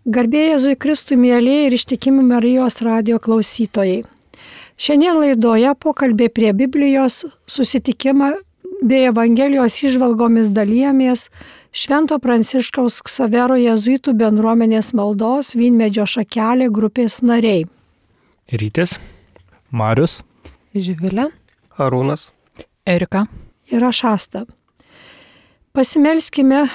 Garbė Jėzui Kristui, mielieji ir ištikimi Marijos radijo klausytojai. Šiandien laidoje pokalbė prie Biblijos susitikimą bei Evangelijos įžvalgomis dalijamės Švento Pranciškaus Ksavero jėzuitų bendruomenės maldos Vynmedžio šakelė grupės nariai. Rytis, Marius, Živilė, Arūnas, Erika ir aš Asta. Pasimelskime,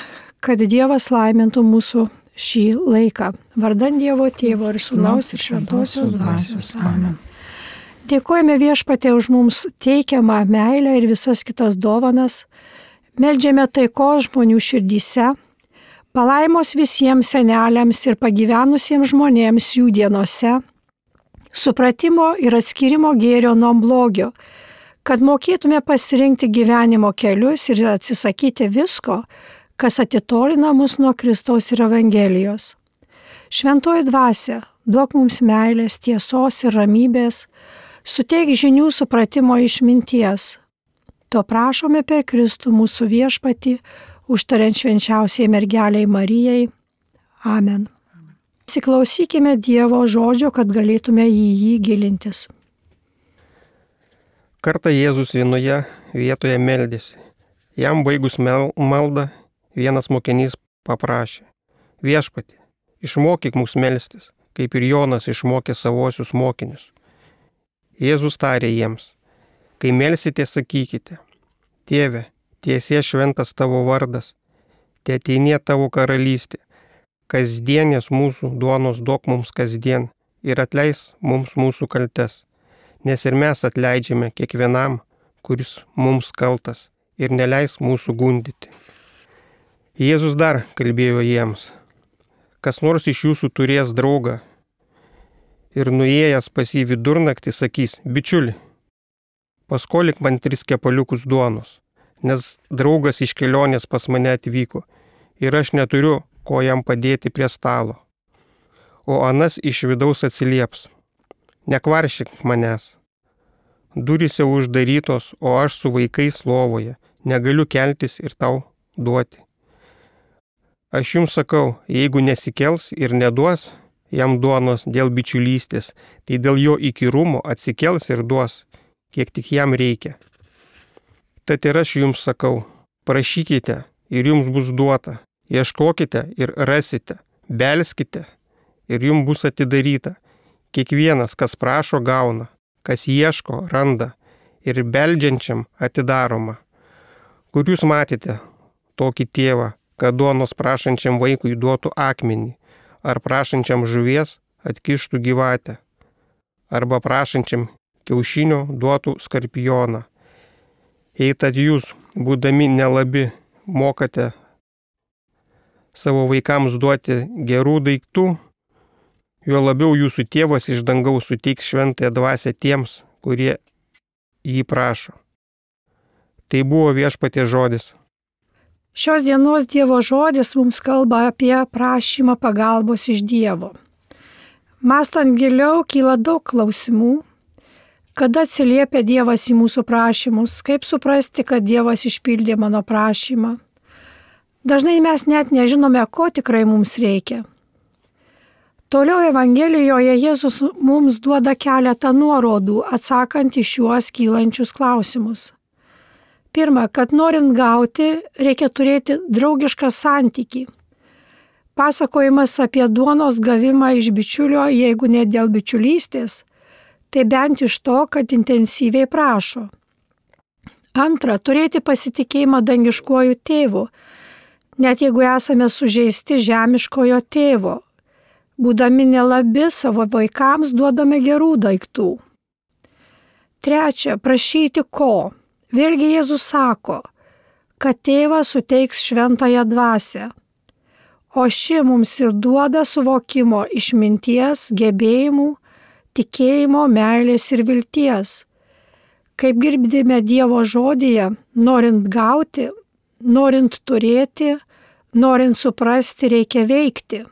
kad Dievas laimintų mūsų šį laiką. Vardan Dievo Tėvo ir Sūnaus ir Šventosios Dvasios. Amen. Dėkojame Viešpatie už mums teikiamą meilę ir visas kitas dovanas. Meldžiame taikos žmonių širdyse, palaimos visiems seneliams ir pagyvenusiems žmonėms jų dienose, supratimo ir atskirimo gėrio nuo blogio, kad mokėtume pasirinkti gyvenimo kelius ir atsisakyti visko, kas atitolina mus nuo Kristaus ir Evangelijos. Šventoji dvasia, duok mums meilės, tiesos ir ramybės, suteik žinių, supratimo, išminties. To prašome per Kristų mūsų Viešpatį, užtariant švenčiausiai mergeliai Marijai. Amen. Įsiklausykime Dievo žodžio, kad galėtume į jį gilintis. Kartą Jėzus vienoje vietoje meldėsi. Jam baigus maldą, vienas mokinys paprašė: Viešpatie, išmokyk mus melstis, kaip ir Jonas išmokė savosius mokinius. Jėzus tarė jiems: kai melsite, sakykite: Tėve, tiesie šventas tavo vardas, teateinie tavo karalystė, kasdienės mūsų duonos duok mums kasdien ir atleis mums mūsų kaltes, nes ir mes atleidžiame kiekvienam, kuris mums kaltas, ir neleis mūsų gundyti. Jėzus dar kalbėjo jiems: kas nors iš jūsų turės draugą ir nuėjęs pas jį vidurnaktį sakys: bičiuli, paskolik man 3 kepaliukus duonos, nes draugas iš kelionės pas mane atvyko ir aš neturiu ko jam padėti prie stalo. O anas iš vidaus atsilieps: nekvaršyk manęs, durys jau uždarytos, o aš su vaikais lovoje, negaliu keltis ir tau duoti. Aš jums sakau, jeigu nesikels ir neduos jam duonos dėl bičiulystės, tai dėl jo įkyrumo atsikels ir duos, kiek tik jam reikia. Tad ir aš jums sakau, prašykite ir jums bus duota, ieškokite ir rasite, belskite ir jums bus atidaryta. Kiekvienas, kas prašo, gauna, kas ieško, randa ir beldžiančiam atidaroma. Kur jūs matėte tokį tėvą, kad duonos prašančiam vaikui duotų akmenį, ar prašančiam žuvies atkištų gyvatę, arba prašančiam kiaušinio duotų skorpioną. Jei tad jūs, būdami nelabi, mokate savo vaikams duoti gerų daiktų, juo labiau jūsų tėvas iš dangaus suteiks šventąją dvasią tiems, kurie jį prašo. Tai buvo Viešpaties žodis. Šios dienos Dievo žodis mums kalba apie prašymą pagalbos iš Dievo. Mąstant giliau, kyla daug klausimų. Kada atsiliepia Dievas į mūsų prašymus? Kaip suprasti, kad Dievas išpildė mano prašymą? Dažnai mes net nežinome, ko tikrai mums reikia. Toliau Evangelijoje Jėzus mums duoda keletą nuorodų, atsakant į šiuos kylančius klausimus. Pirma, kad norint gauti, reikia turėti draugišką santykį. Pasakojimas apie duonos gavimą iš bičiulio, jeigu ne dėl bičiulystės, tai bent iš to, kad intensyviai prašo. Antra, turėti pasitikėjimą dangiškuoju tėvu, net jeigu esame sužeisti žemiškojo tėvo. Būdami nelabi, savo vaikams duodame gerų daiktų. Trečia, prašyti ko? Vėlgi Jėzus sako, kad tėvas suteiks šventąją dvasią, o ši mums ir duoda suvokimo, išminties, gebėjimų, tikėjimo, meilės ir vilties. Kaip girdime Dievo žodyje, norint gauti, norint turėti, norint suprasti, reikia veikti,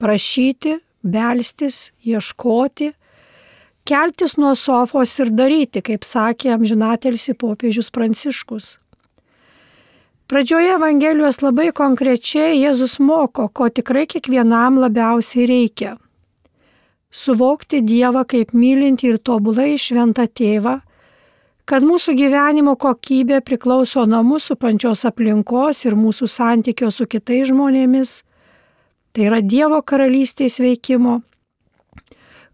prašyti, belstis, ieškoti, keltis nuo sofos ir daryti, kaip sakė amžinatilsį popiežius Pranciškus. Pradžioje Evangelijos labai konkrečiai Jėzus moko, ko tikrai kiekvienam labiausiai reikia. Suvokti Dievą kaip mylintį ir tobulai šventą tėvą, kad mūsų gyvenimo kokybė priklauso nuo mūsų pačios aplinkos ir mūsų santykio su kitais žmonėmis, tai yra Dievo karalystės veikimo,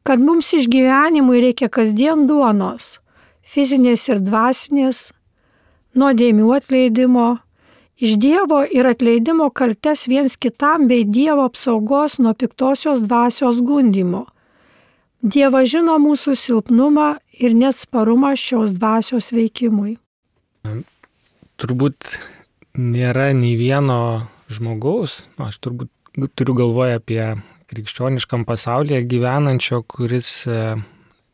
kad mums išgyvenimui reikia kasdien duonos, fizinės ir dvasinės, nuodėmių atleidimo, iš Dievo ir atleidimo kaltes viens kitam bei Dievo apsaugos nuo piktosios dvasios gundymo. Dievas žino mūsų silpnumą ir neatsparumą šios dvasios veikimui. Turbūt nėra nei vieno žmogaus, aš turbūt turiu galvoje apie krikščioniškam pasaulyje gyvenančio, kuris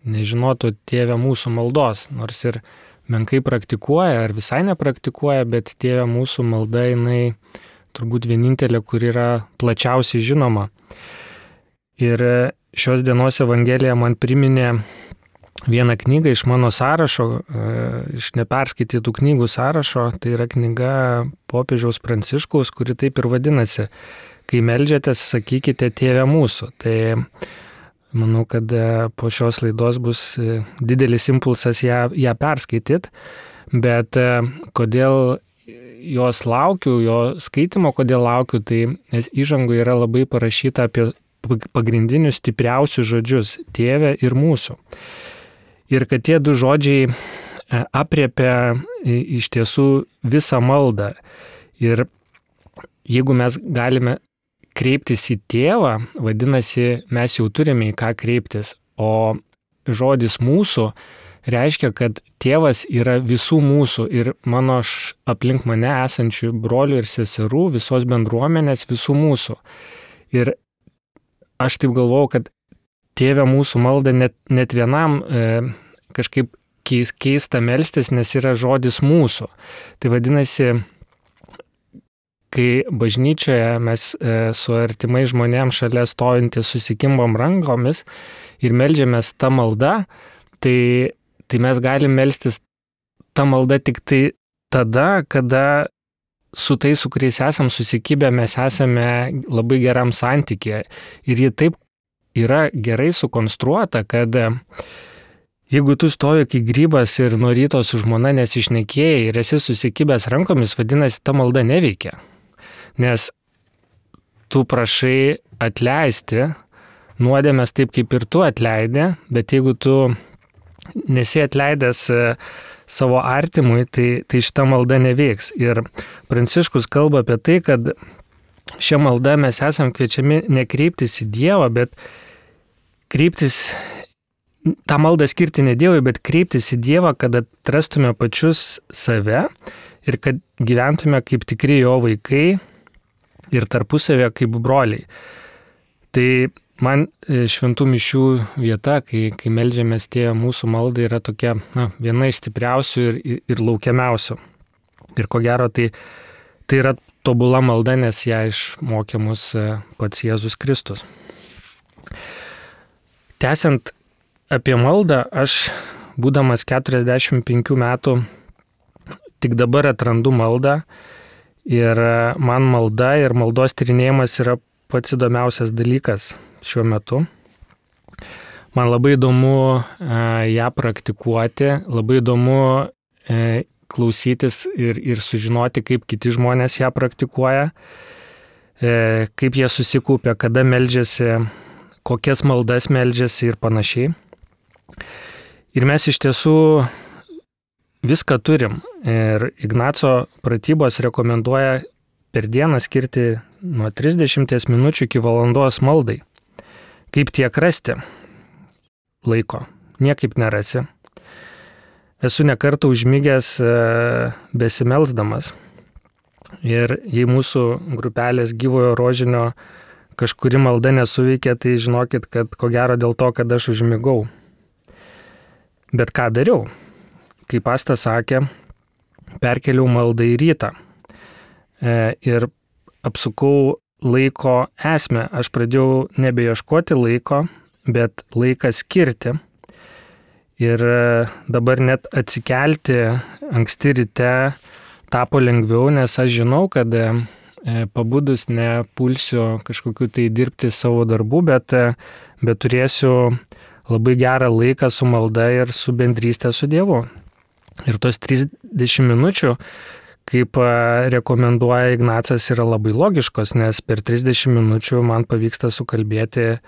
nežinotų Tėve mūsų maldos, nors ir menkai praktikuoja ar visai nepraktikuoja, bet Tėve mūsų malda jinai turbūt vienintelė, kur yra plačiausiai žinoma. Ir šios dienos Evangelija man priminė vieną knygą iš mano sąrašo, iš neperskaitytų knygų sąrašo, tai yra knyga popiežiaus Pranciškaus, kuri taip ir vadinasi: Kai meldžiatės, sakykite Tėve mūsų. Tai manau, kad po šios laidos bus didelis impulsas ją perskaityti, bet kodėl jos laukiu, jo skaitimo, kodėl laukiu, tai nes įžangoje yra labai parašyta apie pagrindinius stipriausius žodžius – Tėve ir mūsų. Ir kad tie du žodžiai apriepia iš tiesų visą maldą. Ir jeigu mes galime kreiptis į Tėvą, vadinasi, mes jau turime į ką kreiptis. O žodis mūsų reiškia, kad Tėvas yra visų mūsų ir mano aplink mane esančių brolių ir seserų, visos bendruomenės, visų mūsų. Ir aš taip galvojau, kad Tėve mūsų malda net vienam kažkaip keista melstis, nes yra žodis mūsų. Tai vadinasi, kai bažnyčioje mes su artimai žmonėms šalia stovintys susikimbom rankomis ir meldžiamės tą maldą, tai mes galim melstis tą maldą tik tai tada, kada su tais, su kuriais esam susikibę, mes esame labai geram santykėje. Ir ji taip yra gerai sukonstruota, kad jeigu tu stovi kaip grybas ir nuo ryto su žmona nesišnekėjai ir esi susikibęs rankomis, vadinasi, ta malda neveikia. Nes tu prašai atleisti nuodėmes taip, kaip ir tu atleidė, bet jeigu tu nesi atleidęs savo artimui, tai šita malda neveiks. Ir Pranciškus kalba apie tai, kad šią maldą mes esam kviečiami nekreiptis į Dievą, bet kreiptis, tą maldą skirti ne Dievui, bet kreiptis į Dievą, kad atrastume pačius save ir kad gyventume kaip tikri jo vaikai ir tarpusavę kaip broliai. Tai man šventų mišių vieta, kai meldžiamės Tėve mūsų maldą, yra tokia viena iš stipriausių ir laukiamiausių. Ir ko gero, tai yra tobula malda, nes ją išmokė mus pats Jėzus Kristus. Tęsiant apie maldą, aš, būdamas 45 metų, tik dabar atrandu maldą ir man malda ir maldos tyrinėjimas yra pats įdomiausias dalykas šiuo metu. Man labai įdomu ją praktikuoti, labai įdomu klausytis ir sužinoti, kaip kiti žmonės ją praktikuoja, kaip jie susikaupia, kada meldžiasi, kokias maldas meldžiasi ir panašiai. Ir mes iš tiesų viską turim. Ir Ignaco pratybos rekomenduoja per dieną skirti nuo 30 minučių iki valandos maldai. Kaip tiek rasti laiko? Niekaip nerasi. Esu nekartą užmigęs besimelsdamas. Ir jei mūsų grupelės gyvojo rožinio kažkuri malda nesuveikia, tai žinokit, kad ko gero dėl to, kad aš užmigau. Bet ką dariau? Kaip Asta sakė, perkeliau maldą į rytą. Ir apsukau laiko esmę. Aš pradėjau nebeieškoti laiko, bet laiką skirti. Ir dabar net atsikelti anksti ryte tapo lengviau, nes aš žinau, kad pabudus nepulsiu kažkokiu tai dirbti savo darbų, bet turėsiu labai gerą laiką su malda ir su bendrystė su Dievu. Ir tos 30 minučių, kaip rekomenduoja Ignacas, yra labai logiškos, nes per 30 minučių man pavyksta sukalbėti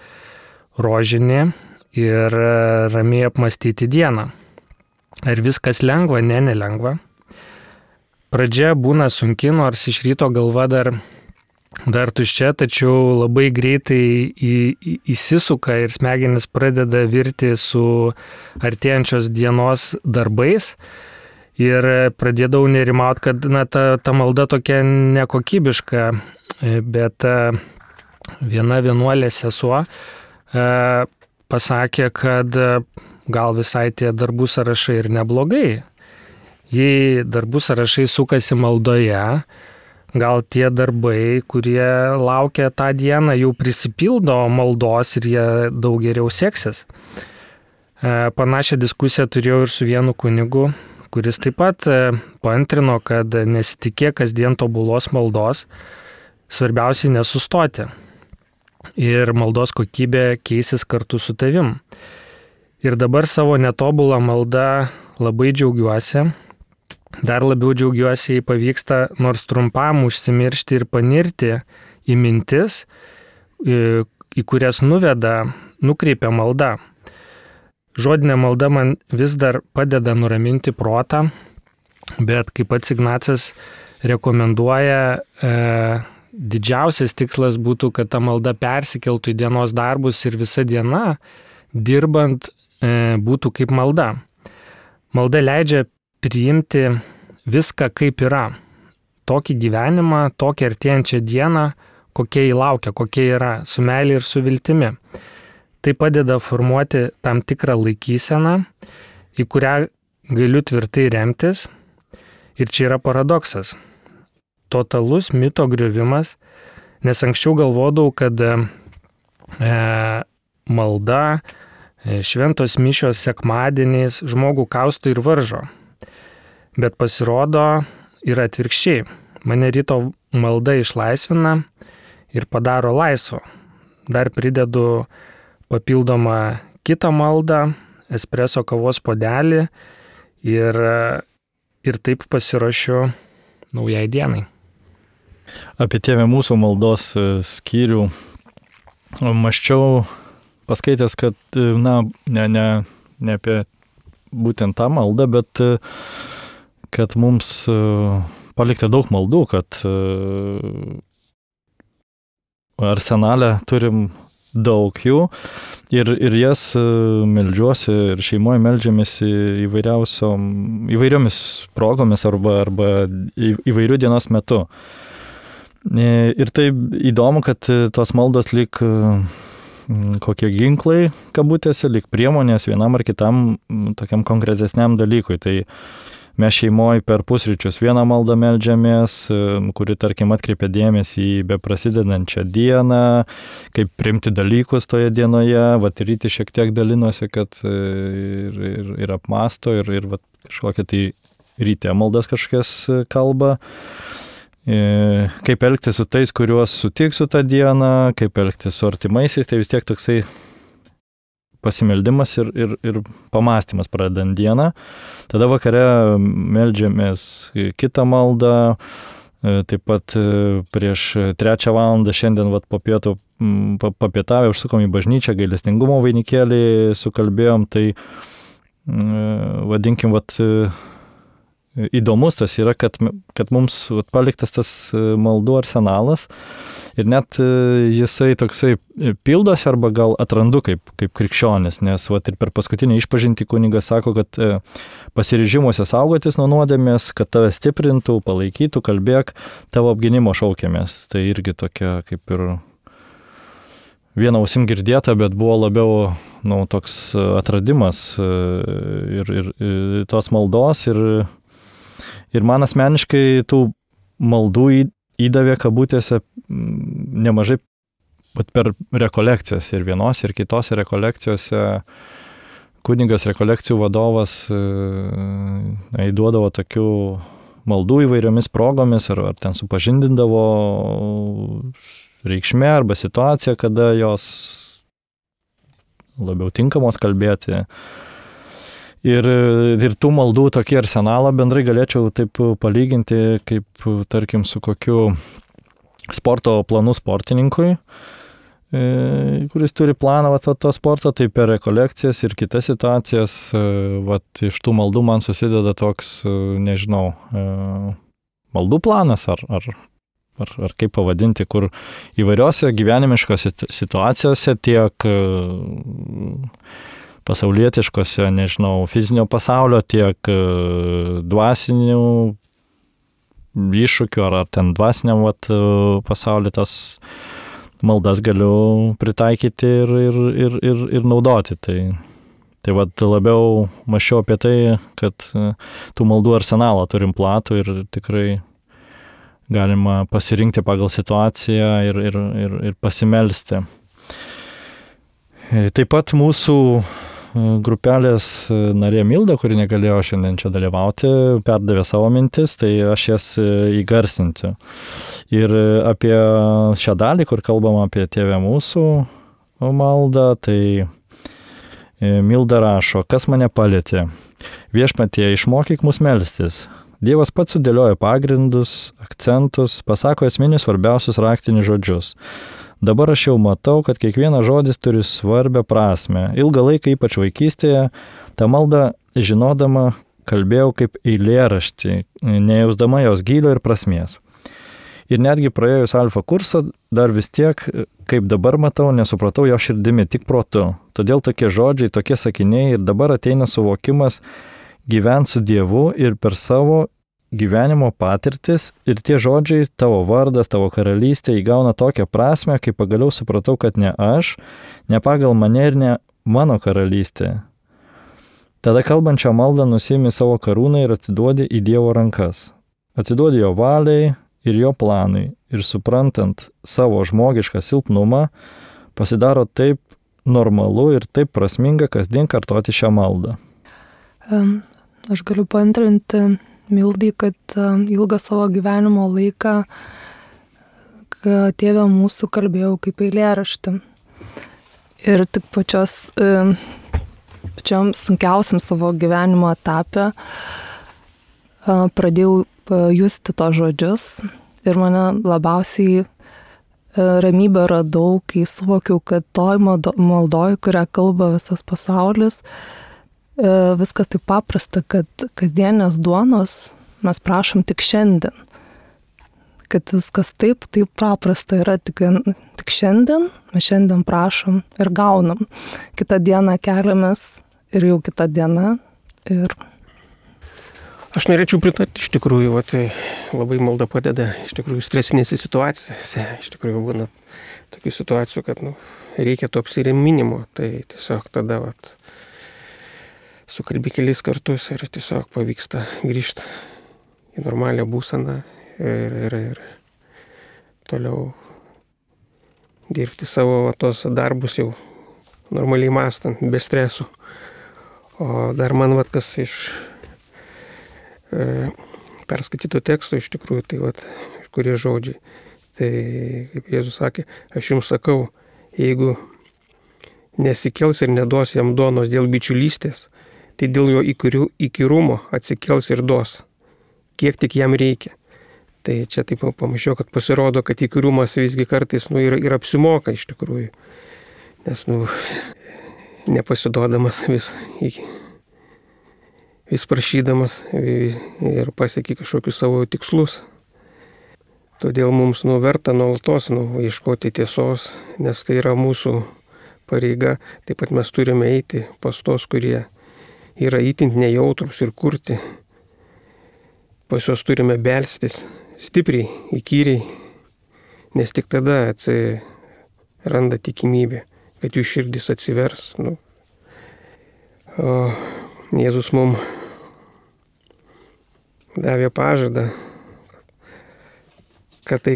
rožinį ir ramiai apmastyti dieną. Ar viskas lengva? Ne, nelengva. Pradžia būna sunki, nors iš ryto galva dar tuščia, tačiau labai greitai įsisuka ir smegenis pradeda virti su artėjančios dienos darbais. Ir pradėdavau nerimauti, kad ta malda tokia nekokybiška, bet viena vienuolė sesuo pasakė, kad gal visai tie darbų sąrašai ir neblogai. Jei darbų sąrašai sukasi maldoje, gal tie darbai, kurie laukia tą dieną, jau prisipildo maldos ir jie daug geriau seksis. Panašią diskusiją turėjau ir su vienu kunigu, kuris taip pat paantrino, kad nesitikėk kasdien tobulos maldos, svarbiausiai nesustoti. Ir maldos kokybė keisis kartu su tavim. Ir dabar savo netobulą maldą labai džiaugiuosi. Dar labiau džiaugiuosi, jei pavyksta nors trumpam užsimiršti ir panirti į mintis, į kurias nukreipia malda. Žodinė malda man vis dar padeda nuraminti protą, bet kaip pats Ignacas rekomenduoja, didžiausias tikslas būtų, kad ta malda persikeltų į dienos darbus ir visa diena, dirbant, būtų kaip malda. Malda leidžia priimti viską kaip yra. Tokį gyvenimą, tokią artėjančią dieną, kokie jį laukia, kokie yra, su meilė ir su viltimi. Tai padeda formuoti tam tikrą laikyseną, į kurią galiu tvirtai remtis. Ir čia yra paradoksas. Totalus mito griovimas, nes anksčiau galvodavau, kad malda, šventos mišios sekmadieniais žmogų kausto ir varžo. Bet pasirodo yra atvirkščiai. Mane ryto malda išlaisvina ir padaro laisvo. Dar pridedu papildomą kitą maldą, espreso kavos puodelį ir taip pasiruošiu naujai dienai. Apie Tėve mūsų maldos skyrių mąsčiau, paskaitęs, kad ne apie būtent tą maldą, bet kad mums palikta daug maldų, kad arsenale turim daug jų ir jas meldžiuosi ir šeimoje meldžiamės įvairiomis progomis arba įvairių dienos metu. Ir tai įdomu, kad tos maldos lyg kokie ginklai, kabutėse, lyg priemonės vienam ar kitam tokiam konkretesniam dalykui. Tai mes šeimoje per pusryčius vieną maldą meldžiamės, kuri, tarkim, atkreipia dėmesį į beprasidedančią dieną, kaip priimti dalykus toje dienoje, ryti šiek tiek dalinosi, kad ir apmasto, ir kažkokia tai ryte maldas kažkas kalba. Kaip elgtis su tais, kuriuos sutiksiu tą dieną, kaip elgtis su artimaisiais, tai vis tiek toksai pasimeldimas ir pamastymas pradedant dieną. Tada vakare meldžiamės kitą maldą, taip pat prieš 3 valandą šiandien po pietų papietavę užsukom į bažnyčią, gailestingumo vainikėlį sukalbėjom, tai vadinkim, įdomus tas yra, kad mums paliktas tas maldų arsenalas ir net jisai toksai pildosi arba gal atrandu kaip krikščionis, nes ir per paskutinį išpažintį kunigas sako, kad pasiryžimuose saugotis nuo nuodėmės, kad tave stiprintų, palaikytų, kalbėk, tavo apgynimo šaukiamės. Tai irgi tokia kaip ir viena ausim girdėta, bet buvo labiau toks atradimas ir tos maldos ir man asmeniškai tų maldų įdavė kabutėse nemažai per rekolekcijas ir vienose ir kitose rekolekcijose. Kunigas rekolekcijų vadovas įduodavo tokių maldų įvairiomis progomis, ar ten supažindindavo reikšmė arba situacija, kada jos labiau tinkamos kalbėti. Ir tų maldų tokį arsenalą bendrai galėčiau taip palyginti, kaip, tarkim, su kokiu sporto planu sportininkui, kuris turi planą to sporto, tai per rekolekcijas ir kitas situacijas, iš tų maldų man susideda toks, nežinau, maldų planas ar kaip pavadinti, kur įvairiose gyvenimiškose situacijose tiek pasaulietiškose, nežinau, fizinio pasaulio, tiek dvasinių iššūkių ar ten dvasiniam pasaulio tas maldas galiu pritaikyti ir naudoti. Tai labiau mąsčiau apie tai, kad tų maldų arsenalą turim platų ir tikrai galima pasirinkti pagal situaciją ir pasimelsti. Taip pat mūsų grupelės narė Milda, kuri negalėjo šiandien čia dalyvauti, perdavė savo mintis, tai aš jas įgarsinsiu. Ir apie šią dalį, kur kalbama apie Tėve mūsų maldą, tai Milda rašo, kas mane palietė. Viešpatie, išmokyk mus melstis. Dievas pats sudėlioja pagrindus, akcentus, pasako esminius svarbiausius raktinius žodžius. Dabar aš jau matau, kad kiekvienas žodis turi svarbią prasmę. Ilgą laiką, ypač vaikystėje, tą maldą žinodama kalbėjau kaip eilėraštį, nejausdama jos gylio ir prasmės. Ir netgi praėjus alfa kursą, dar vis tiek, kaip dabar matau, nesupratau jo širdimi, tik protu. Todėl tokie žodžiai, tokie sakiniai ir dabar ateina suvokimas gyventi su Dievu ir per savo gyvenimo patirtis ir tie žodžiai, tavo vardas, tavo karalystė įgauna tokią prasme, kai pagaliau supratau, kad ne aš, ne pagal mane ir ne mano karalystė. Tada kalbančią maldą nusiimi savo karūną ir atsiduodi į Dievo rankas. Atsiduodi jo valiai ir jo planui ir suprantant savo žmogišką silpnumą, pasidaro taip normalu ir taip prasminga kasdien kartoti šią maldą. Aš galiu paantrinti Mildai, kad ilgą savo gyvenimo laiką Tėve mūsų kalbėjau kaip eilėraštį. Ir tik pačiam sunkiausiam savo gyvenimo etape pradėjau justi to žodžius ir mane labiausiai ramybę radau, kai suvokiau, kad toj maldoj, kurią kalba visas pasaulis, viskas taip paprasta, kad kasdienės duonos mes prašom tik šiandien. Kad viskas taip paprasta yra tik šiandien, mes šiandien prašom ir gaunam. Kitą dieną keliamės ir jau kitą dieną. Aš norėčiau pritarti, iš tikrųjų, labai malda padeda, iš tikrųjų, stresinėse situacijose. Iš tikrųjų, būna tokių situacijų, kad reikia to apsiriminimo, tai tiesiog tada sukalbi kelis kartus ir tiesiog pavyksta grįžti į normalią būseną ir toliau dirbti savo tos darbus jau normaliai mąstant, be stresų. O dar man kas iš perskaityto teksto iš tikrųjų, tai kurie žodžiai. Tai kaip Jėzus sakė, aš jums sakau, jeigu nesikels ir neduos jam duonos dėl bičiulystės, tai dėl jo įkyrumo atsikels ir duos, kiek tik jam reikia. Tai čia taip pamačiau, kad pasirodo, kad įkyrumas visgi kartais ir apsimoka iš tikrųjų. Nes nepasiduodamas vis prašydamas ir pasieki kažkokius savo tikslus. Todėl mums verta nuolatos ieškoti tiesos, nes tai yra mūsų pareiga. Taip pat mes turime eiti pas tos, kurie yra įtint nejautrus ir kurti. Pas juos turime belstis stipriai, įkyriai, nes tik tada atsiranda tikimybė, kad jų širdis atsivers. O Jėzus mums davė pažadą, kad tai,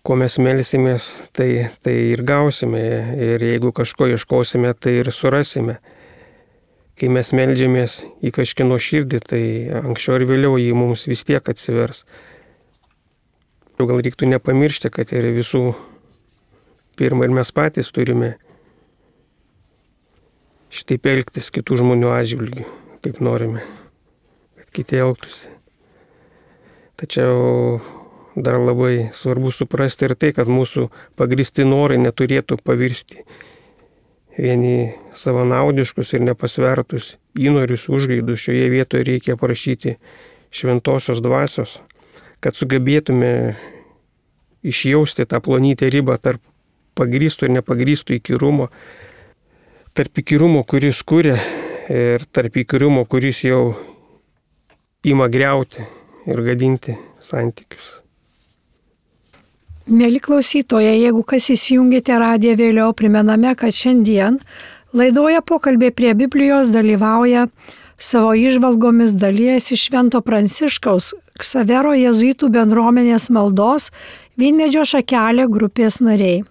ko mes melsimės, tai ir gausime. Ir jeigu kažko ieškosime, tai ir surasime. kai mes meldžiamės į kažkieno širdį, tai anksčiau ir vėliau jį mums vis tiek atsivers. Gal reiktų nepamiršti, kad ir visų pirma ir mes patys turime šitaip elgtis kitų žmonių atžvilgių, kaip norime, kad kiti elgtųsi. Tačiau dar labai svarbu suprasti ir tai, kad mūsų pagristi norai neturėtų pavirsti vieni savanaudiškus ir nepasvertus įnorius užgaidus. Šioje vietoje reikia prašyti šventosios dvasios, kad sugebėtume išjausti tą plonytę ribą tarp pagrįsto ir nepagrįsto įkyrumo, tarp įkyrumo, kuris kuria, ir tarp įkyrumo, kuris jau ima griauti ir gadinti santykius. Mėly klausytojai, jeigu kas įsijungėte radiją vėliau, primename, kad šiandien laidoje pokalbė prie Biblijos dalyvauja savo įžvalgomis dalijasi Švento Pranciškaus Ksavero jėzuitų bendruomenės maldos Vynmedžio šakelė grupės nariai.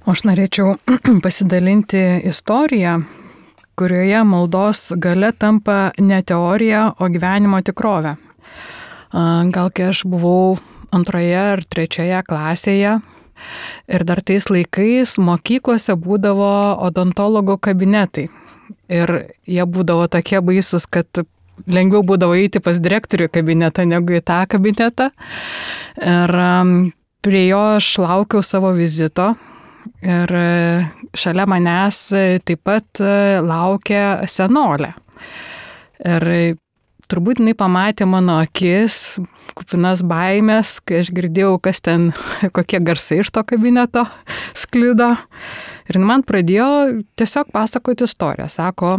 O aš norėčiau pasidalinti istoriją, kurioje maldos galia tampa ne teorija, o gyvenimo tikrovė. Gal kai aš buvau 2 ar 3 klasėje ir dar tais laikais mokyklose būdavo odontologo kabinetai. Ir jie būdavo tokie baisus, kad lengviau būdavo eiti pas direktorių kabinetą negu į tą kabinetą. Ir prie jo aš laukiau savo vizito. Ir šalia manęs taip pat laukia senolė. Ir turbūt jinai pamatė mano akis, kupinas baimės, kai aš girdėjau, kas ten, kokie garsai iš to kabineto sklido. Ir man pradėjo tiesiog pasakoti istoriją. Sako,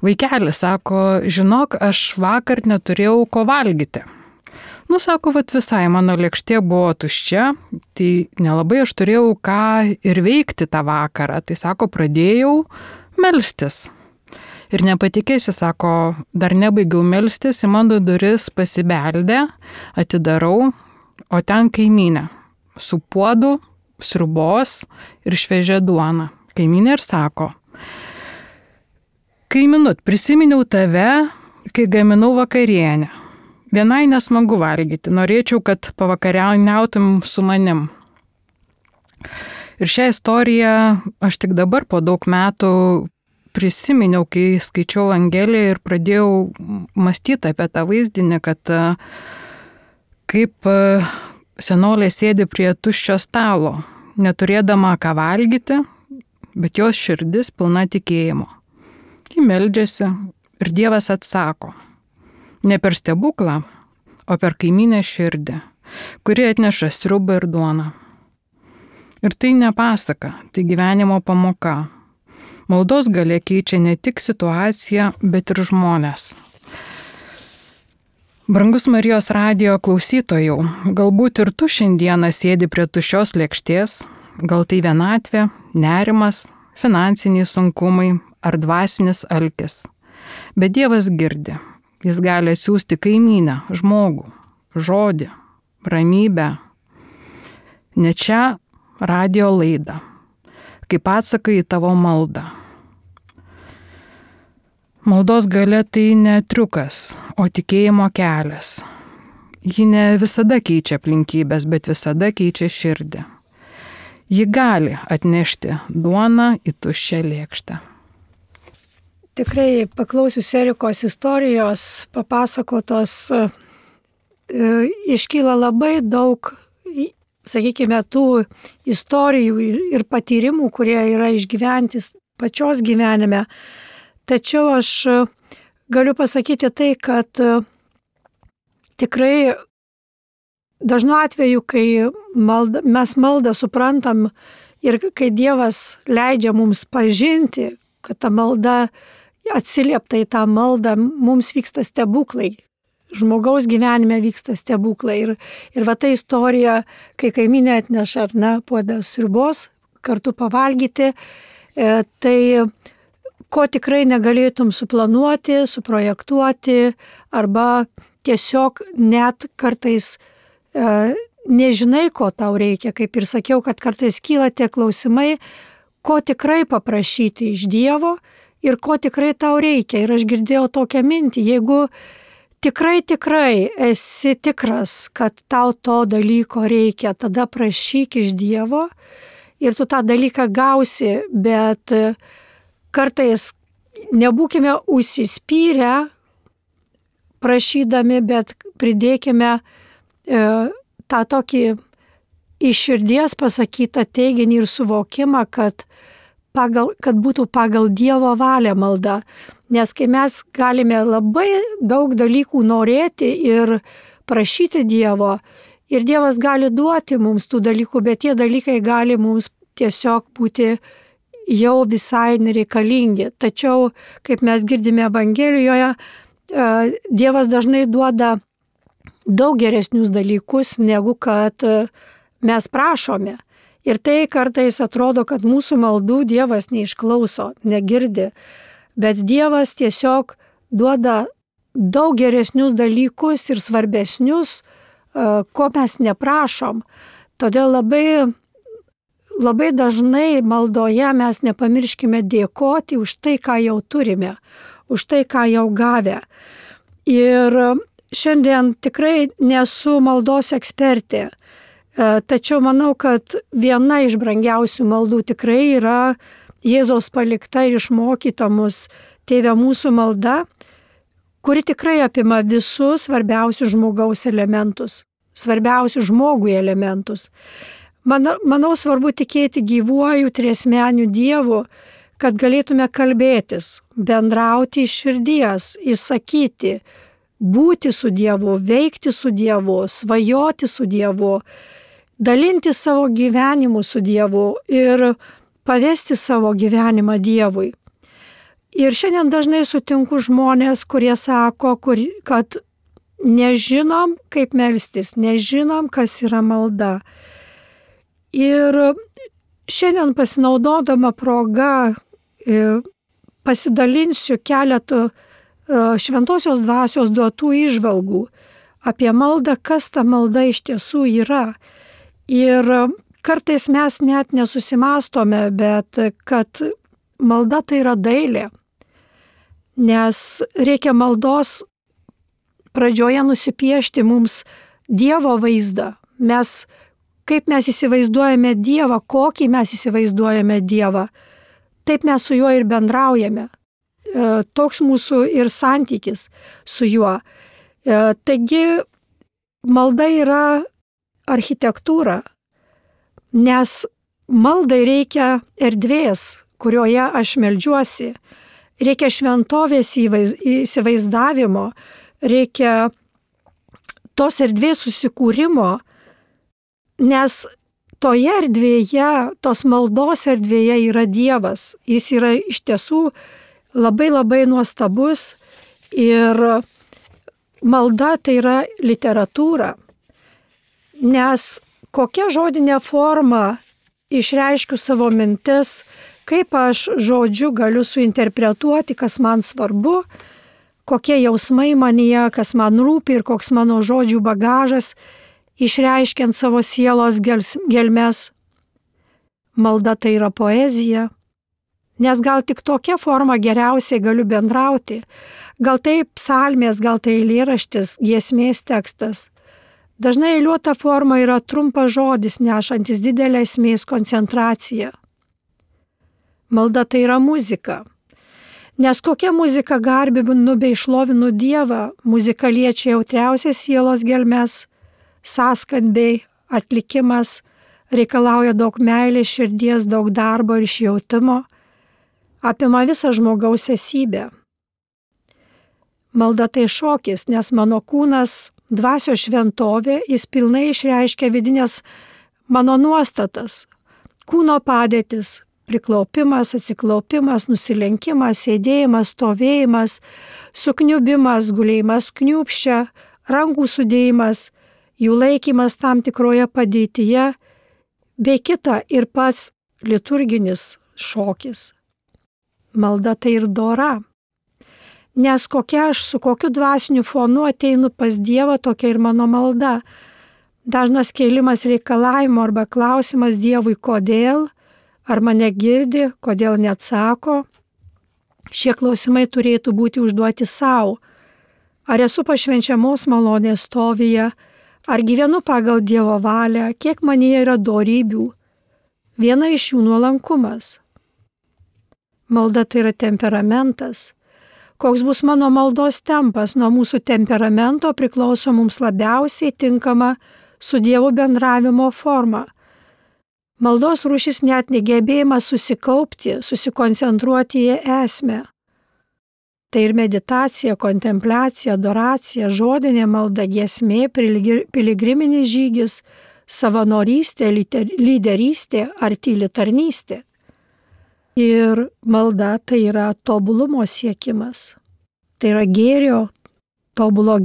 vaikelis, sako, žinok, aš vakar neturėjau ko valgyti. Sako, visai mano lėkštė buvo tuščia, tai nelabai aš turėjau ką ir veikti tą vakarą. Tai sako, pradėjau melstis. Ir nepatikėsi, sako, dar nebaigiau melstis, į mano duris pasibeldė, atidarau, o ten kaimynė su puodu, sriubos ir šviežia duona. Kaimynė ir sako, kaiminut, prisiminiau tave, kai gaminau vakarienę. Vienai nesmagu valgyti, norėčiau, kad pavakariautum su manim. Ir šią istoriją aš tik dabar po daug metų prisiminiau, kai skaičiau Evangeliją ir pradėjau mąstyti apie tą vaizdinį, kad kaip senolė sėdi prie tuščio stalo, neturėdama ką valgyti, bet jos širdis pilna tikėjimo. Ji meldžiasi ir Dievas atsako. Ne per stebuklą, o per kaimynę širdį, kuri atneša sriubą ir duoną. Ir tai ne pasaka, tai gyvenimo pamoka. Maldos galia keičia ne tik situaciją, bet ir žmonės. Brangus Marijos radijo klausytojų, galbūt ir tu šiandieną sėdi prie tuščios lėkštės, gal tai vienatvė, nerimas, finansiniai sunkumai ar dvasinis alkis. Bet Dievas girdi. Jis gali siūsti kaimynę, žmogų, žodį, ramybę. Ne čia radijo laidą, kaip atsakai į tavo maldą. Maldos galia tai ne triukas, o tikėjimo kelias. Ji ne visada keičia aplinkybės, bet visada keičia širdį. Ji gali atnešti duoną į tuščią lėkštę. Tikrai paklausius Erikos istorijos papasakotos, iškyla labai daug, sakykime, tų istorijų ir patyrimų, kurie yra išgyventi pačios gyvenime. Tačiau aš galiu pasakyti tai, kad tikrai dažnu atveju, kai mes maldą suprantam ir kai Dievas leidžia mums pažinti, kad ta malda atsiliepta į tą maldą, mums vyksta stebuklai. Žmogaus gyvenime vyksta stebuklai. Ir va ta istorija, kai kaimynė atneša ar ne puodą sriubos, kartu pavalgyti, tai ko tikrai negalėtum suplanuoti, suprojektuoti, arba tiesiog net kartais nežinai, ko tau reikia. Kaip ir sakiau, kad kartais kyla tie klausimai, ko tikrai paprašyti iš Dievo ir ko tikrai tau reikia. Ir aš girdėjau tokią mintį, jeigu tikrai esi tikras, kad tau to dalyko reikia, tada prašyk iš Dievo ir tu tą dalyką gausi, bet kartais nebūkime užsispyrę prašydami, bet pridėkime tą tokį iš širdies pasakytą teiginį ir suvokimą, kad būtų pagal Dievo valią malda. Nes kai mes galime labai daug dalykų norėti ir prašyti Dievo, ir Dievas gali duoti mums tų dalykų, bet tie dalykai gali mums tiesiog būti jau visai nereikalingi. Tačiau, kaip mes girdime Evangelijoje, Dievas dažnai duoda daug geresnius dalykus, negu kad mes prašome. Ir tai kartais atrodo, kad mūsų maldų Dievas neišklauso, negirdi, bet Dievas tiesiog duoda daug geresnius dalykus ir svarbesnius, ko mes neprašom. Todėl labai dažnai maldoje mes nepamirškime dėkoti už tai, ką jau turime, už tai, ką jau gavę. Ir šiandien tikrai nesu maldos ekspertė. Tačiau manau, kad viena iš brangiausių maldų tikrai yra Jėzaus palikta ir išmokyta mus Tėve mūsų malda, kuri tikrai apima visus svarbiausius žmogaus elementus, svarbiausius žmogui elementus. Manau, svarbu tikėti gyvuoju triasmeniu Dievu, kad galėtume kalbėtis, bendrauti iš širdies, įsakyti, būti su Dievu, veikti su Dievu, svajoti su Dievu, dalinti savo gyvenimu su Dievu ir pavesti savo gyvenimą Dievui. Ir šiandien dažnai sutinku žmonės, kurie sako, kad nežinom, kaip melstis, nežinom, kas yra malda. Ir šiandien pasinaudodama proga pasidalinsiu keletų šventosios dvasios duotų įžvalgų apie maldą, kas ta malda iš tiesų yra. Ir kartais mes net nesusimastome, bet kad malda tai yra dailė, nes reikia maldos pradžioje nusipiešti mums Dievo vaizdą. Kaip mes įsivaizduojame Dievą, kokį mes įsivaizduojame Dievą, taip mes su juo ir bendraujame. Toks mūsų ir santykis su juo. Taigi malda yra architektūra, nes maldai reikia erdvės, kurioje aš meldžiuosi, reikia šventovės įsivaizdavimo, reikia tos erdvės susikūrimo, nes toje erdvėje, tos maldos erdvėje yra Dievas. Jis yra iš tiesų labai nuostabus ir malda tai yra literatūra. Nes kokia žodinė forma išreiškiu savo mintis, kaip aš žodžiu galiu suinterpretuoti, kas man svarbu, kokie jausmai manyje, kas man rūpi ir koks mano žodžių bagažas, išreiškiant savo sielos gelmes. Malda tai yra poezija, nes gal tik tokia forma geriausiai galiu bendrauti, gal tai psalmės, gal tai eilėraštis, giesmės tekstas. Dažnai eiliuota forma yra trumpas žodis, nešantis didelę esmės koncentraciją. Malda tai yra muzika. Nes kokia muzika garbinu bei šlovinu Dievą, muzika liečia jautriausias sielos gelmes, sąskambiai, atlikimas, reikalauja daug meilės, širdies, daug darbo ir išjautimo, apima visą žmogaus esybę. Malda tai šokis, nes mano kūnas dvasios šventovė, jis pilnai išreiškia vidinės mano nuostatas, kūno padėtis, priklaupimas, atsiklaupimas, nusilenkimas, sėdėjimas, stovėjimas, sukniubimas, gulėjimas kniūpščia, rankų sudėjimas, jų laikymas tam tikroje padėtyje, bei kita ir pats liturginis šokis. Malda tai ir dora. Nes su kokiu dvasiniu fonu ateinu pas Dievą, tokia ir mano malda. Dažnas kėlimas reikalavimo arba klausimas Dievui, kodėl, ar mane girdi, kodėl neatsako, Šie klausimai turėtų būti užduoti savo. Ar esu pašvenčiamos malonės stovyje, ar gyvenu pagal Dievo valią, kiek manyje yra dorybių. Viena iš jų nuolankumas. Malda tai yra temperamentas. Koks bus mano maldos tempas, nuo mūsų temperamento priklauso mums labiausiai tinkama su Dievu bendravimo forma. Maldos rūšis net negebėjimas susikaupti, susikoncentruoti į esmę. Tai ir meditacija, kontempliacija, adoracija, žodinė malda, giesmė, piligriminis žygis, savanorystė, lyderystė ar tyli tarnystė. Ir malda tai yra tobulumo siekimas. Tai yra gėrio, tobulo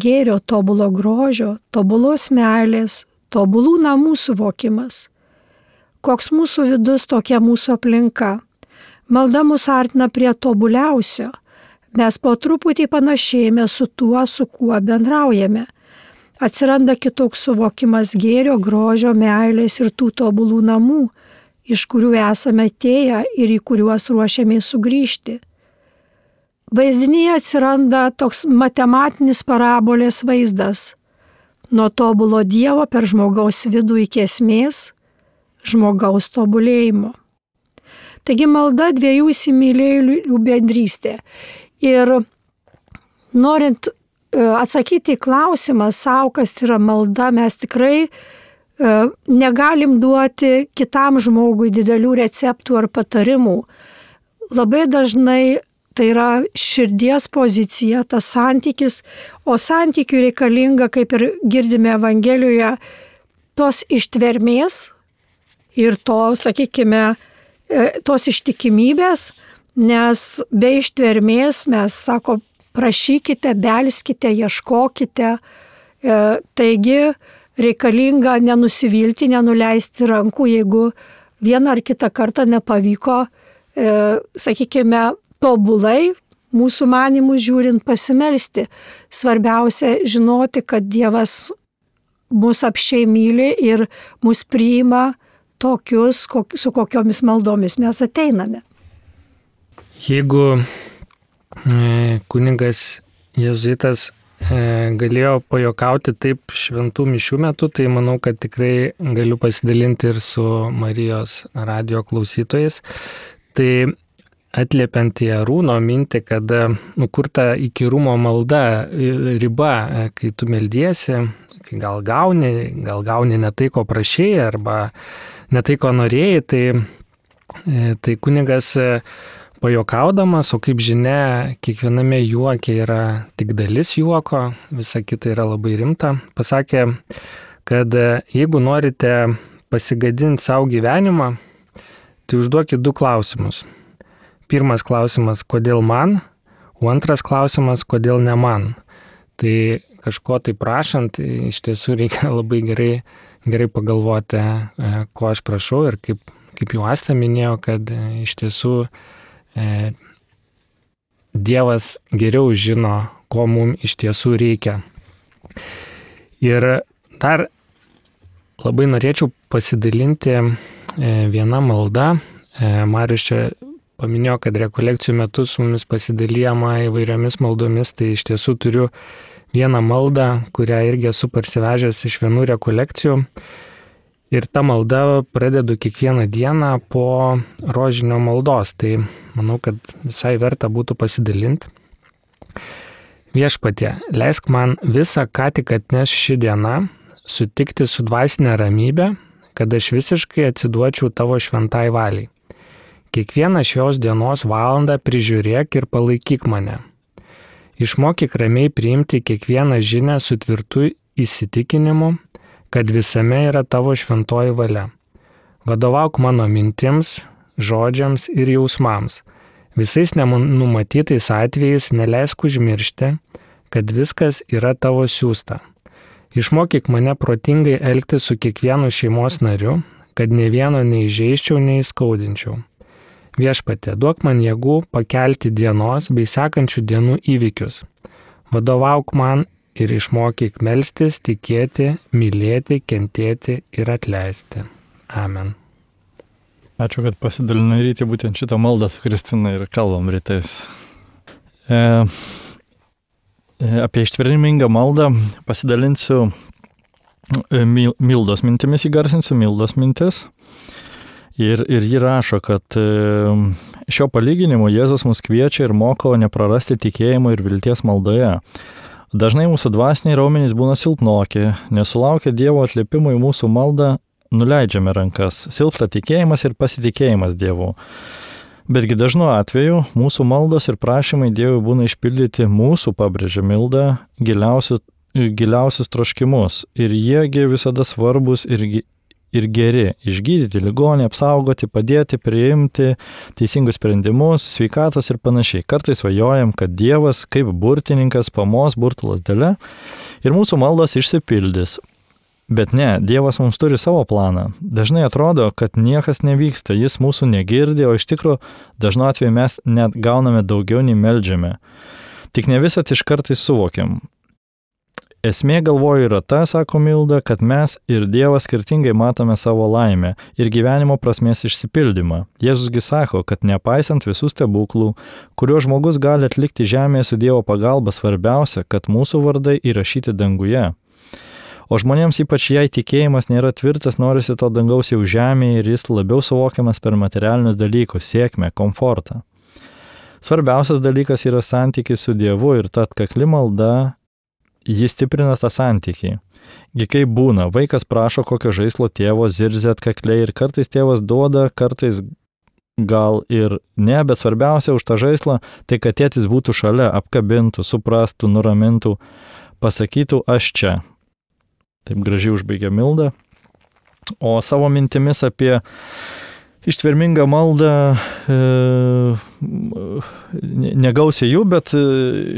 grožio, tobulos meilės, tobulų namų suvokimas. Koks mūsų vidus, tokia mūsų aplinka. Malda mus artina prie tobuliausio. Mes po truputį panašėjame su tuo, su kuo bendraujame. Atsiranda kitoks suvokimas gėrio, grožio, meilės ir tų tobulų namų, iš kurių esame atėję ir į kuriuos ruošiamės sugrįžti. Vaizdinyje atsiranda toks matematinis parabolės vaizdas. Nuo tobulo Dievo per žmogaus vidų iki esmės, žmogaus tobulėjimo. Taigi malda dviejų įsimylėjėlių bendrystė. Ir norint atsakyti į klausimą savo, kas yra malda, mes tikrai negalim duoti kitam žmogui didelių receptų ar patarimų. Labai dažnai tai yra širdies pozicija, tas santykis, o santykiui reikalinga, kaip ir girdime Evangelijoje, tos ištvermės ir to, sakykime, tos ištikimybės, nes be ištvermės mes, sako, prašykite, belskite, ieškokite. Taigi reikalinga nenusivilti, nenuleisti rankų, jeigu vieną ar kitą kartą nepavyko, sakykime, tobulai, mūsų manimų žiūrint, pasimelsti. Svarbiausia žinoti, kad Dievas mus apsčiai myli ir mus priima tokius, su kokiomis maldomis mes ateiname. Jeigu kunigas jėzuitas galėjo pajokauti taip šventų mišių metu, tai manau, kad tikrai galiu pasidalinti ir su Marijos radijo klausytojais. Tai atliepiant į Arūno mintį, kad kur ta įkyrumo malda riba, kai tu meldiesi, kai gal gauni ne tai, ko prašėjai, arba ne tai, ko norėjai, tai kunigas pajokaudamas, o kaip žinia, kiekviename juoke yra tik dalis juoko, visa kita yra labai rimta, pasakė, kad jeigu norite pasigadinti savo gyvenimą, tai užduokit 2 klausimus. Pirmas klausimas, kodėl man, o antras klausimas, kodėl ne man. Tai kažko tai prašant, iš tiesų reikia labai gerai pagalvoti, ko aš prašau ir kaip jau Asta minėjo, kad iš tiesų Dievas geriau žino, ko mums iš tiesų reikia. Ir dar labai norėčiau pasidalinti vieną maldą. Marius čia paminėjo, kad rekolekcijų metu su mumis pasidalijama įvairiomis maldomis, tai iš tiesų turiu vieną maldą, kurią irgi esu parsivežęs iš vienų rekolekcijų. Ir tą maldą pradedu kiekvieną dieną po rožinio maldos, tai manau, kad visai verta būtų pasidalinti. Viešpatie, leisk man visą, ką tik atneš ši diena, sutikti su dvasinė ramybė, kad aš visiškai atsiduočiau tavo šventai valiai. Kiekvieną šios dienos valandą prižiūrėk ir palaikyk mane. Išmokyk ramiai priimti kiekvieną žinią su tvirtu įsitikinimu, kad visame yra tavo šventoji valia. Vadovauk mano mintims, žodžiams ir jausmams. Visais nenumatytais atvejais neleisk užmiršti, kad viskas yra tavo siųsta. Išmokyk mane protingai elgtis su kiekvienu šeimos nariu, kad ne vieno neįžeisčiau, neįskaudinčiau. Viešpatie, duok man jėgų pakelti dienos bei sekančių dienų įvykius. Vadovauk man ir išmokyk melstis, tikėti, mylėti, kentėti ir atleisti. Amen. Ačiū, kad pasidalinai rytį būtent šitą maldą su Kristina ir kalbam rytais. Apie ištvermingą maldą pasidalinsiu Mildos mintimis, įgarsinsiu Mildos mintis. Ir ji rašo, kad šio palyginimo Jėzus mus kviečia ir moko neprarasti tikėjimo ir vilties maldoje. Dažnai mūsų dvasiniai raumenys būna silpnoki, nesulaukia Dievo atliepimo į mūsų maldą, nuleidžiame rankas, silpsta tikėjimas ir pasitikėjimas Dievu. Betgi dažnu atveju mūsų maldos ir prašymai Dievui būna išpildyti mūsų, pabrėžia Milda, giliausius troškimus ir jiegi visada svarbus ir geri - išgydyti ligonį, apsaugoti, padėti, priimti teisingus sprendimus, sveikatos ir panašiai. Kartais svajojam, kad Dievas kaip burtininkas pamos burtų lazdele ir mūsų maldos išsipildys. Bet ne, Dievas mums turi savo planą. Dažnai atrodo, kad niekas nevyksta, jis mūsų negirdi, o iš tikrųjų dažnu atveju mes net gauname daugiau nei meldžiame. Tik ne visat iš kartais suvokiam. Esmė, galvoju, yra ta, sako Milda, kad mes ir Dievas skirtingai matome savo laimę ir gyvenimo prasmės išsipildymą. Jėzusgi sako, kad nepaisant visų stebuklų, kuriuos žmogus gali atlikti žemėje su Dievo pagalba, svarbiausia, kad mūsų vardai įrašyti danguje. O žmonėms ypač jei tikėjimas nėra tvirtas, norisi to dangaus jau žemėje ir jis labiau suvokiamas per materialinius dalykus, sėkmę, komfortą. Svarbiausias dalykas yra santykis su Dievu ir ta atkakli malda, jis stiprina tą santykį. Gi kaip būna, vaikas prašo kokio žaislo tėvo, zirzia atkakliai ir kartais tėvas duoda, kartais gal ir ne, bet svarbiausia už tą žaislą, tai kad tėtis būtų šalia, apkabintų, suprastų, nuramintų, pasakytų aš čia. Taip gražiai užbaigė Milda. O savo mintimis apie ištvermingą maldą negausiai jų, bet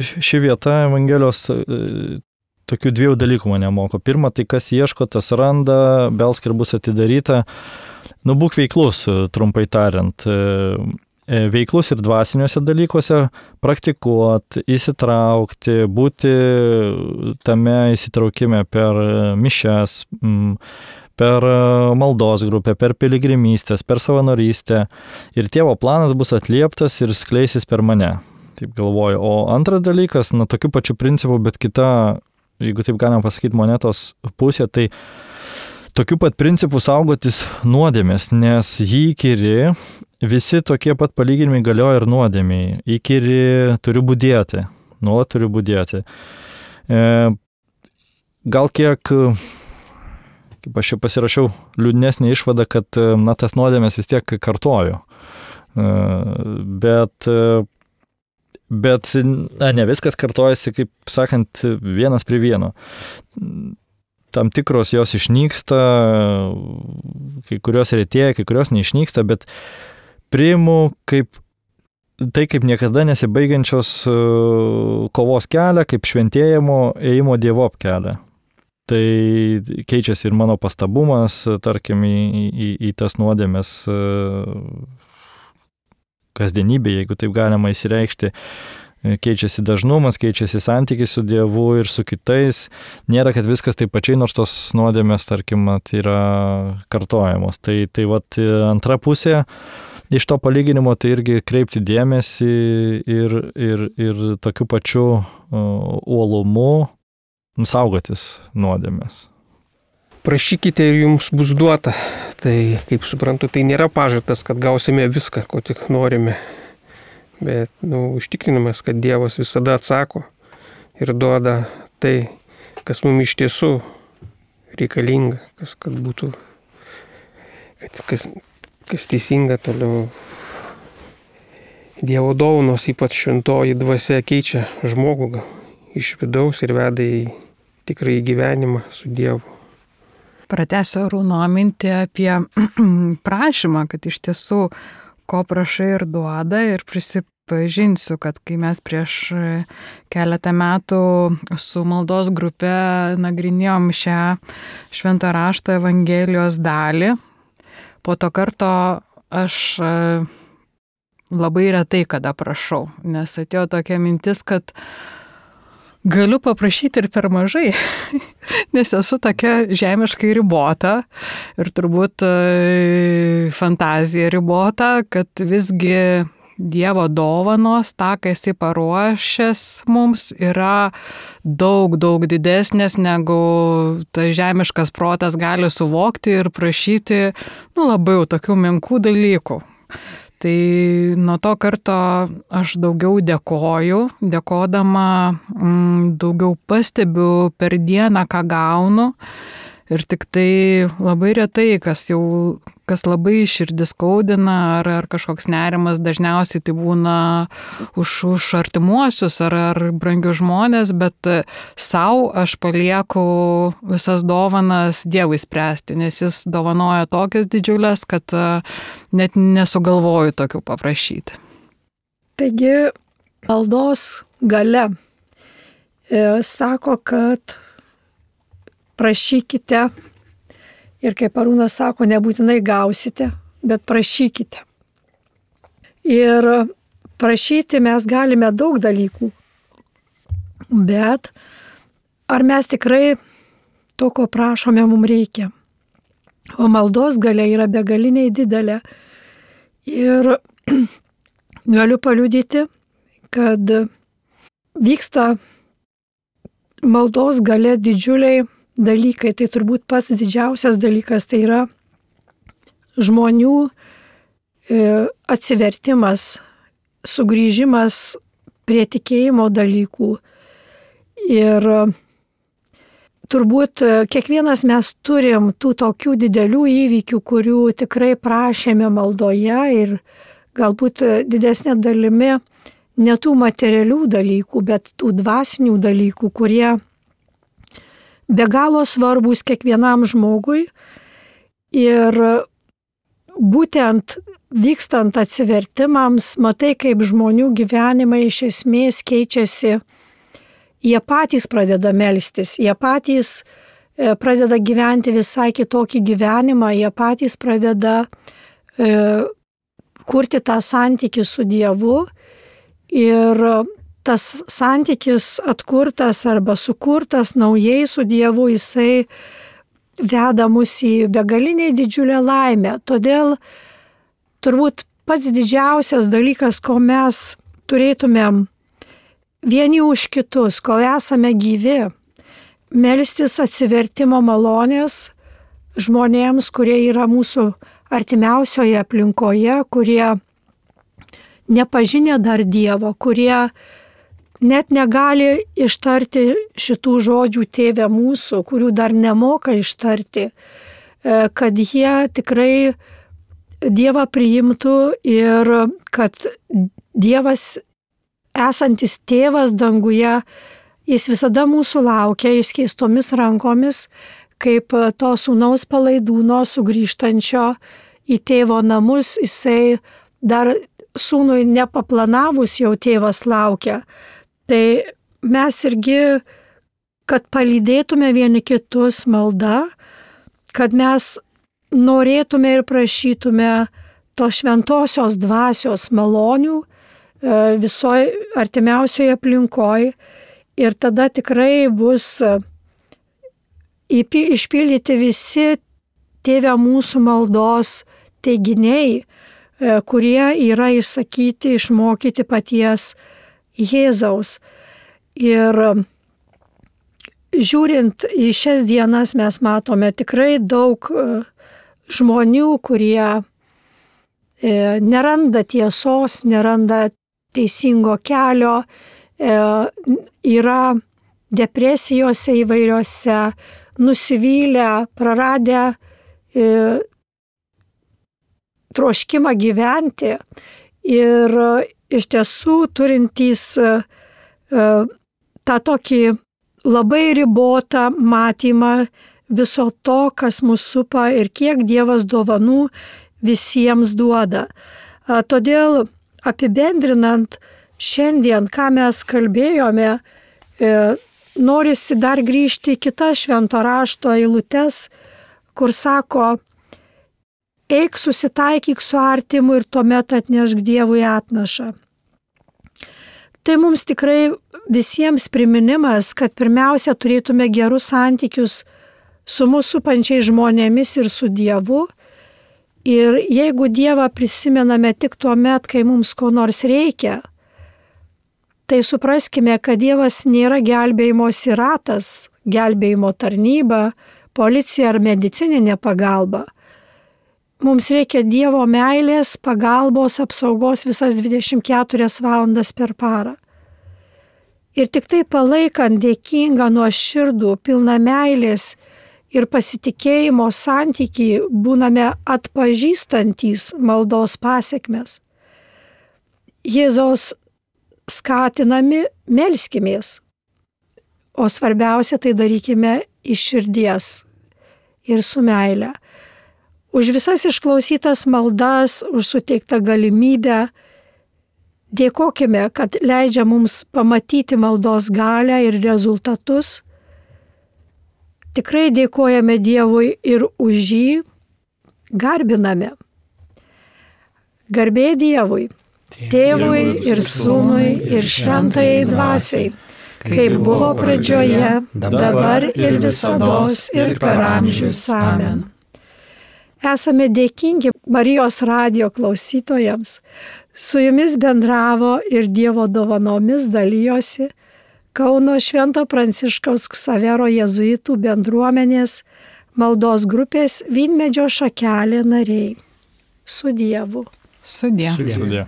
ši vieta Evangelijos tokių dviejų dalykų mane moko. Pirma, tai kas ieško, tas randa, belsk ir bus atidaryta. Būk veiklus, trumpai tariant. Veiklus ir dvasiniuose dalykuose praktikuoti, įsitraukti, būti tame įsitraukime per mišias, per maldos grupę, per piligrimystės, per savanorystę. Ir Tėvo planas bus atlieptas ir skleisis per mane. Taip galvoju. O antras dalykas, tokiu pačiu principu, bet kita, jeigu taip galim pasakyti, monetos pusė, tai tokiu pat principu saugotis nuodėmės, nes jį įkyri. Visi tokie pat palyginimai galioja ir nuodėmiai. Įkyri turiu budėti, nuolat turiu budėti. Gal kiek, kaip aš čia pasirašiau, liūdnesnė išvada, kad tas nuodėmės vis tiek kartoju. Bet ne viskas kartojasi, kaip sakant, vienas prie vieno. Tam tikros jos išnyksta, kai kurios retėja, kai kurios neišnyksta, bet priimu kaip niekada nesibaigiančios kovos kelią, kaip šventėjimo ėjimo Dievop kelią. Tai keičiasi ir mano pastabumas, tarkim, į tas nuodėmės kasdienybė, jeigu taip galima įsireikšti. Keičiasi dažnumas, keičiasi santykis su Dievu ir su kitais. Nėra, kad viskas taip pačiai, nors tos nuodėmės, tarkim, yra kartojamos. Tai antra pusė iš to palyginimo, tai irgi kreipti dėmesį ir tokiu pačiu uolumu saugotis nuodėmės. Prašykite ir jums bus duota. Tai, kaip suprantu, tai nėra pažadas, kad gausime viską, ko tik norime. Bet užtikrinimas, kad Dievas visada atsako ir duoda tai, kas mums iš tiesų reikalinga, kad būtų, kas teisinga toliau. Dievo dovanos, ypač šventoji dvasia, keičia žmogų iš vidaus ir veda į tikrąjį gyvenimą su Dievu. Pratęsiu Arūno mintį apie prašymą, kad iš tiesų ko prašai ir duoda, ir prisipažinsiu, kad kai mes prieš keletą metų su maldos grupe nagrinėjom šią švento rašto Evangelijos dalį, po to karto aš labai retai kada prašau, nes atėjo tokia mintis, kad galiu paprašyti ir per mažai, nes esu tokia žemiškai ribota ir turbūt fantazija ribota, kad visgi Dievo dovanos, tą, ką Jisai paruošęs mums, yra daug didesnės, negu tas žemiškas protas gali suvokti ir prašyti, labai jau tokių menkų dalykų. Tai nuo to karto aš daugiau dėkoju, dėkodama daugiau pastebiu per dieną, ką gaunu. Ir tik tai labai retai, kas labai širdis skaudina ar kažkoks nerimas, dažniausiai tai būna už artimuosius ar brangius žmonės, bet savo aš palieku visas dovanas Dievui spręsti, nes Jis dovanoja tokias didžiulės, kad net nesugalvoju tokių paprašyti. Taigi maldos galia sako, kad prašykite ir kaip Arūnas sako, nebūtinai gausite, bet prašykite. Ir prašyti mes galime daug dalykų, bet ar mes tikrai to, ko prašome, mums reikia? O maldos galia yra begaliniai didelė. Ir galiu paliudyti, kad vyksta maldos galia didžiuliai dalykai. Tai turbūt pats didžiausias dalykas tai yra žmonių atsivertimas, sugrįžimas prie tikėjimo dalykų. Ir turbūt kiekvienas mes turim tų tokių didelių įvykių, kurių tikrai prašėme maldoje ir galbūt didesnė dalimi ne tų materialių dalykų, bet tų dvasinių dalykų, kurie be galo svarbus kiekvienam žmogui. Ir būtent vykstant atsivertimams, matai, kaip žmonių gyvenimai iš esmės keičiasi. Jie patys pradeda melstis, jie patys pradeda gyventi visai kitokį gyvenimą, jie patys pradeda kurti tą santykį su Dievu. Ir tas santykis atkurtas arba sukurtas naujai su Dievu, jisai veda mus į begaliniai didžiulę laimę. Todėl turbūt pats didžiausias dalykas, ko mes turėtumėm vieni už kitus, kol esame gyvi, melstis atsivertimo malonės žmonėms, kurie yra mūsų artimiausioje aplinkoje, kurie nepažinę dar Dievo, kurie net negali ištarti šitų žodžių Tėve mūsų, kurių dar nemoka ištarti, kad jie tikrai Dievą priimtų ir kad Dievas, esantis Tėvas danguje, Jis visada mūsų laukia išskėstomis rankomis, kaip to sūnaus palaidūno sugrįžtančio į tėvo namus, jisai dar sūnui nepaplanavus jau tėvas laukia. Tai mes irgi, kad palydėtume vieni kitus malda, kad mes norėtume ir prašytume to šventosios dvasios malonių visoje artimiausioje aplinkoje ir tada tikrai bus išpildyti visi Tėve mūsų maldos teiginiai, kurie yra išsakyti, išmokyti paties Jėzaus. Ir žiūrint į šias dienas mes matome tikrai daug žmonių, kurie neranda tiesos, neranda teisingo kelio, yra depresijose įvairiose, nusivylę, praradę troškimą gyventi ir iš tiesų turintys tą tokį labai ribotą matymą viso to, kas mus supa ir kiek Dievas dovanų visiems duoda. Todėl apibendrinant šiandien, ką mes kalbėjome, norisi dar grįžti į kitas švento rašto eilutes, kur sako, eik susitaikyk su artimu ir tuomet atnešk Dievui atnašą. Tai mums tikrai visiems priminimas, kad pirmiausia turėtume gerus santykius su mūsų supančiais žmonėmis ir su Dievu Ir jeigu Dievą prisimename tik tuo met, kai mums ko nors reikia, tai supraskime, kad Dievas nėra gelbėjimosi ratas, gelbėjimo tarnyba, policija ar medicininė pagalba. Mums reikia Dievo meilės, pagalbos, apsaugos visas 24 valandas per parą. Ir tik tai palaikant dėkingą, nuoširdų, pilną meilės ir pasitikėjimo santykį būname atpažįstantys maldos pasiekmes. Jėzaus skatinami melskimės, o svarbiausia tai darykime iš širdies ir su meile. Už visas išklausytas maldas, už suteiktą galimybę dėkokime, kad leidžia mums pamatyti maldos galią ir rezultatus. Tikrai dėkojame Dievui ir už jį, garbiname. Garbė Dievui, Tėvui ir Sūnui ir Šventajai Dvasiai, kaip buvo pradžioje, dabar ir visados ir per amžius. Amen. Esame dėkingi Marijos radijo klausytojams. Su jumis bendravo ir Dievo dovanomis dalijosi Kauno Švento Pranciškaus Ksavero jėzuitų bendruomenės maldos grupės Vynmedžio šakelė nariai. Su Dievu. Sudie. Sudie.